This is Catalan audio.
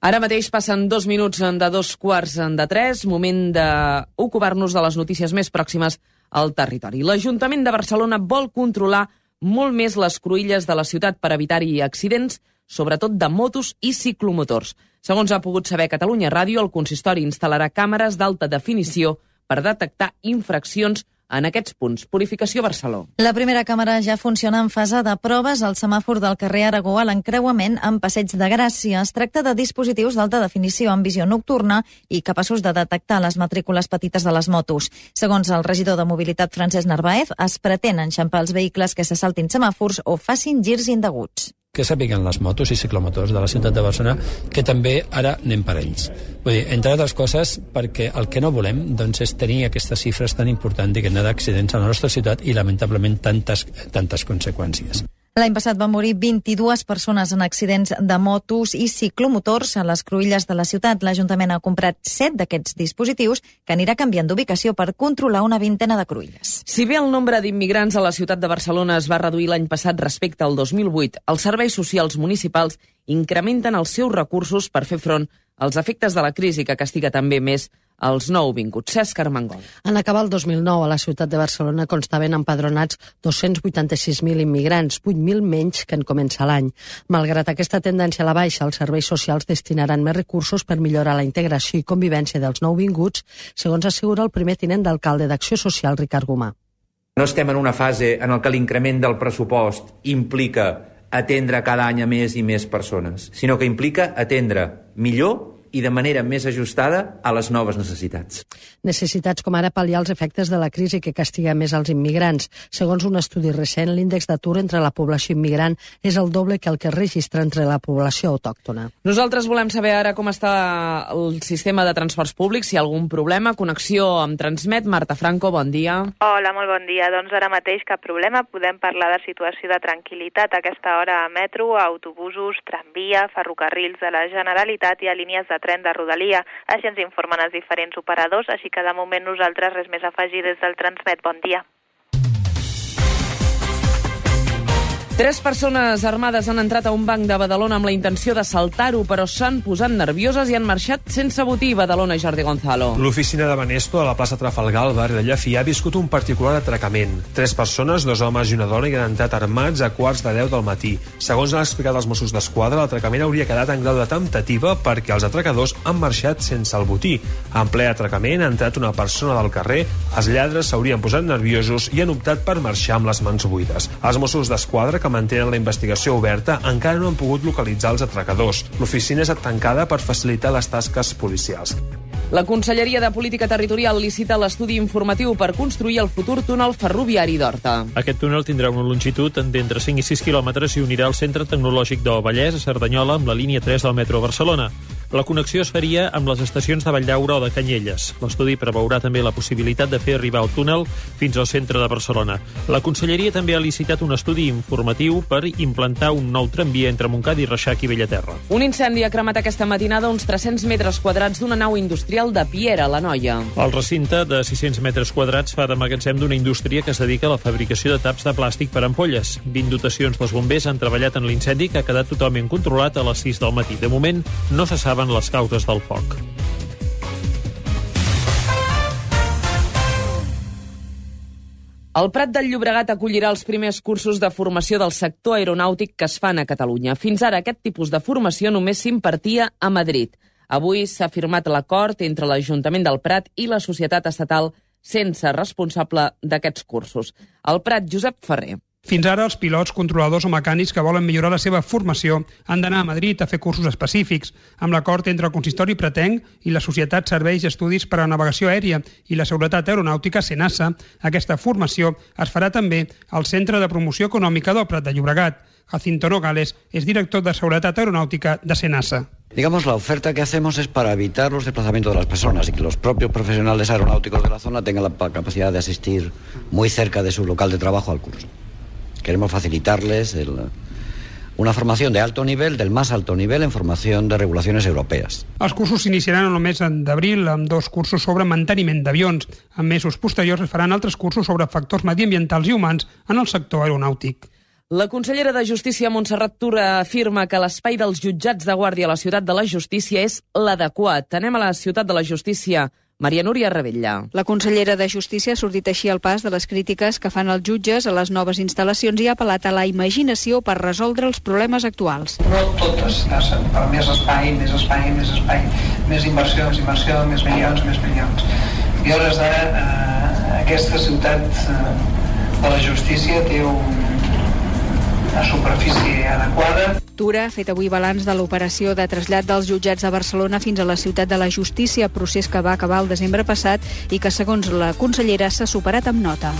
Ara mateix passen 2 minuts de 2:15, moment d'ocupar-nos de les notícies més pròximes al territori. L'Ajuntament de Barcelona vol controlar molt més les cruïlles de la ciutat per evitar-hi accidents, sobretot de motos i ciclomotors. Segons ha pogut saber Catalunya Ràdio, el consistori instal·larà càmeres d'alta definició per detectar infraccions en aquests punts. Purificació Barcelona. La primera càmera ja funciona en fase de proves al semàfor del carrer Aragó a l'encreuament amb Passeig de Gràcia. Es tracta de dispositius d'alta definició amb visió nocturna i capaços de detectar les matrícules petites de les motos. Segons el regidor de Mobilitat, Francesc Narváez, es pretén enxampar els vehicles que se saltin semàfors o facin girs indeguts. Que sàpiguen les motos i ciclomotors de la ciutat de Barcelona que també ara anem per ells. Vull dir, entre altres coses, perquè el que no volem és tenir aquestes xifres tan importants d'accidents a la nostra ciutat i, lamentablement, tantes conseqüències. L'any passat van morir 22 persones en accidents de motos i ciclomotors a les cruïlles de la ciutat. L'Ajuntament ha comprat 7 d'aquests dispositius que anirà canviant d'ubicació per controlar una vintena de cruïlles. Si bé el nombre d'immigrants a la ciutat de Barcelona es va reduir l'any passat respecte al 2008, els serveis socials municipals incrementen els seus recursos per fer front als efectes de la crisi que castiga també més els nouvinguts. Cesc Armengol. En acabar el 2009, a la ciutat de Barcelona constaven empadronats 286.000 immigrants, 8.000 menys que en començar l'any. Malgrat aquesta tendència a la baixa, els serveis socials destinaran més recursos per millorar la integració i convivència dels nouvinguts, segons assegura el primer tinent d'alcalde d'Acció Social, Ricard Gomà. No estem en una fase en què l'increment del pressupost implica atendre cada any a més i més persones, sinó que implica atendre millor i de manera més ajustada a les noves necessitats. Necessitats com ara pal·liar els efectes de la crisi que castiga més els immigrants. Segons un estudi recent, l'índex d'atur entre la població immigrant és el doble que el que es registra entre la població autòctona. Nosaltres volem saber ara com està el sistema de transports públics, si hi ha algun problema. Connexió amb Transmet. Marta Franco, bon dia. Hola, molt bon dia. Doncs ara mateix cap problema. Podem parlar de situació de tranquil·litat a aquesta hora a metro, a autobusos, tramvia, ferrocarrils de la Generalitat i a línies de tren de Rodalia. Així ens informen els diferents operadors, així que de moment nosaltres res més a afegir des del Transmet. Bon dia. 3 persones armades han entrat a un banc de Badalona amb la intenció d'assaltar-ho, però s'han posat nervioses i han marxat sense botí. Badalona, Jordi Gonzalo. L'oficina de Banesto a la plaça Trafalgar, al barri de Llafia, ha viscut un particular atracament. 3 persones, 2 homes i una dona, hi han entrat armats a quarts de 10 del matí. Segons han explicat els Mossos d'Esquadra, l'atracament hauria quedat en grau de temptativa perquè els atracadors han marxat sense el botí. En ple atracament ha entrat una persona del carrer, els lladres s'haurien posat nerviosos i han optat per marxar amb les mans buides. Els Mossos d'Esquadra, que mantenen la investigació oberta, encara no han pogut localitzar els atracadors. L'oficina és tancada per facilitar les tasques policials. La Conselleria de Política Territorial licita l'estudi informatiu per construir el futur túnel ferroviari d'Horta. Aquest túnel tindrà una longitud d'entre 5 i 6 quilòmetres i unirà el Centre Tecnològic del Vallès a Cerdanyola amb la línia 3 del metro a Barcelona. La connexió es faria amb les estacions de Valldaura o de Canyelles. L'estudi preveurà també la possibilitat de fer arribar el túnel fins al centre de Barcelona. La Conselleria també ha licitat un estudi informatiu per implantar un nou tramvia entre Montcada i Reixac i Bellaterra. Un incendi ha cremat aquesta matinada uns 300 metres quadrats d'una nau industrial de Piera, la Noia. El recinte de 600 metres quadrats fa de magatzem d'una indústria que es dedica a la fabricació de taps de plàstic per ampolles. 20 dotacions dels bombers han treballat en l'incendi, que ha quedat totalment controlat a les 6 del matí. De moment, no se saben les causes del foc. El Prat del Llobregat acollirà els primers cursos de formació del sector aeronàutic que es fan a Catalunya. Fins ara aquest tipus de formació només s'impartia a Madrid. Avui s'ha firmat l'acord entre l'Ajuntament del Prat i la societat estatal sense responsable d'aquests cursos. El Prat, Josep Ferrer. Fins ara, els pilots, controladors o mecànics que volen millorar la seva formació han d'anar a Madrid a fer cursos específics. Amb l'acord entre el consistori pratenc i la Societat Serveis i Estudis per a Navegació Aèria i la Seguretat Aeronàutica, SENASA, aquesta formació es farà també al Centre de Promoció Econòmica del Prat de Llobregat. Jacinto Nogales es director de Seguretat Aeronàutica de SENASA. Digamos, la oferta que hacemos es para evitar los desplazamientos de las personas y que los propios profesionales aeronáuticos de la zona tengan la capacidad de asistir muy cerca de su local de trabajo al curso. Queremos facilitarles una formación de alto nivel, del más alto nivel, en formación de regulaciones europees. Els cursos s'iniciaran el mes d'abril amb 2 cursos sobre manteniment d'avions. En mesos posteriors es faran altres cursos sobre factors mediambientals i humans en el sector aeronàutic. La consellera de Justícia, Montserrat Tura, afirma que l'espai dels jutjats de guàrdia a la Ciutat de la Justícia és l'adequat. Anem a la Ciutat de la Justícia. Maria Núria Rebella. La consellera de Justícia ha sortit així al pas de les crítiques que fan els jutges a les noves instal·lacions i ha apel·lat a la imaginació per resoldre els problemes actuals. No totes passen per més espai, més inversions, més milions. I a hores d'ara aquesta ciutat de la justícia té una superfície adequada. Tura ha fet avui balanç de l'operació de trasllat dels jutjats de Barcelona fins a la Ciutat de la Justícia, procés que va acabar el desembre passat i que, segons la consellera, s'ha superat amb nota.